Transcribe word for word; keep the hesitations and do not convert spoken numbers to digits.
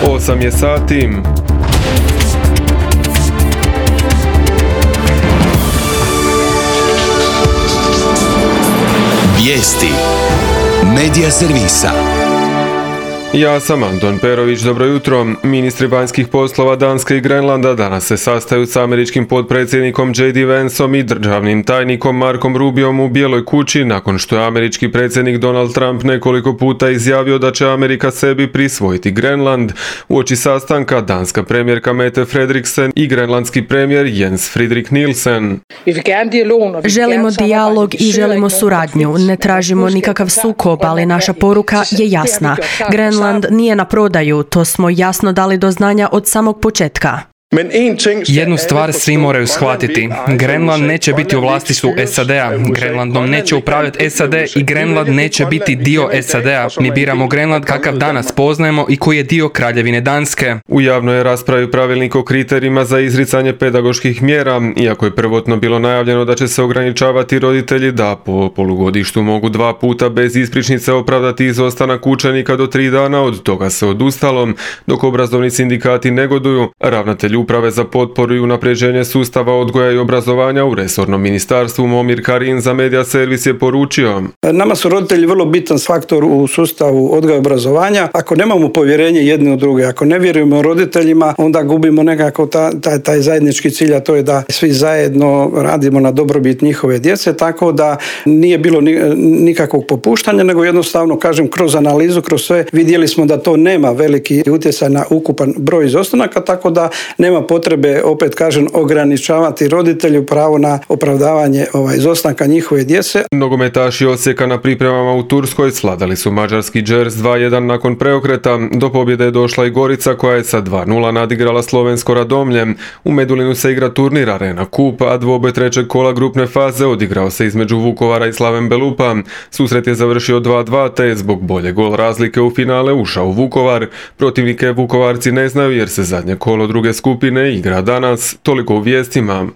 osam je sati. Vijesti Medija servisa. Ja sam Anton Perović, dobro jutro. Ministri vanjskih poslova Danske i Grenlanda danas se sastaju s američkim potpredsjednikom J D Vanceom i državnim tajnikom Markom Rubiom u Bijeloj kući nakon što je američki predsjednik Donald Trump nekoliko puta izjavio da će Amerika sebi prisvojiti Grenland. Uoči sastanka danska premijerka Mette Frederiksen i grenlandski premijer Jens Frederik Nielsen. Želimo dijalog i želimo suradnju. Ne tražimo nikakav sukob, ali naša poruka je jasna. Grenland nije na prodaju, to smo jasno dali do znanja od samog početka. Jednu stvar svi moraju shvatiti. Grenland neće biti u vlasništvu S A D-a, Grenlandom neće upravljati S A D i Grenland neće biti dio S A D-a. Mi biramo Grenland kakav danas poznajemo i koji je dio Kraljevine Danske. U javnoj je raspravi pravilnik o kriterijima za izricanje pedagoških mjera, iako je prvotno bilo najavljeno da će se ograničavati roditelji da po polugodištu mogu dva puta bez ispričnice opravdati izostanak učenika do tri dana, od toga se odustalo, dok obrazovni sindikati negoduju. Ravnatelj Uprave za potporu i unapređenje sustava odgoja i obrazovanja u resornom ministarstvu Momir Karin za Medija servis je poručio: Nama su roditelji vrlo bitan faktor u sustavu odgoja i obrazovanja. Ako nemamo povjerenje jedni u druge, ako ne vjerujemo roditeljima, onda gubimo nekako ta, taj, taj zajednički cilj, a to je da svi zajedno radimo na dobrobit njihove djece, tako da nije bilo nikakvog popuštanja, nego jednostavno, kažem, kroz analizu, kroz sve, vidjeli smo da to nema veliki utjecaj na ukupan broj izostanaka, tako da nema potrebe, opet kažem, ograničavati roditelju pravo na opravdavanje ovaj, izostanka njihove djece. Nogometaši Osijeka na pripremama u Turskoj svladali su mađarski Đers dva jedan nakon preokreta. Do pobjede je došla i Gorica koja je sa dva nula nadigrala slovensko Radomlje. U Medulinu se igra turnir Arena Cup, a dvoboj trećeg kola grupne faze odigrao se između Vukovara i Slaven Belupa. Susret je završio dva dva, te je zbog bolje gol razlike u finale ušao u Vukovar. Protivnike Vukovarci ne znaju jer se zadnje kolo druge skupine igra danas. Toliko u vijestima.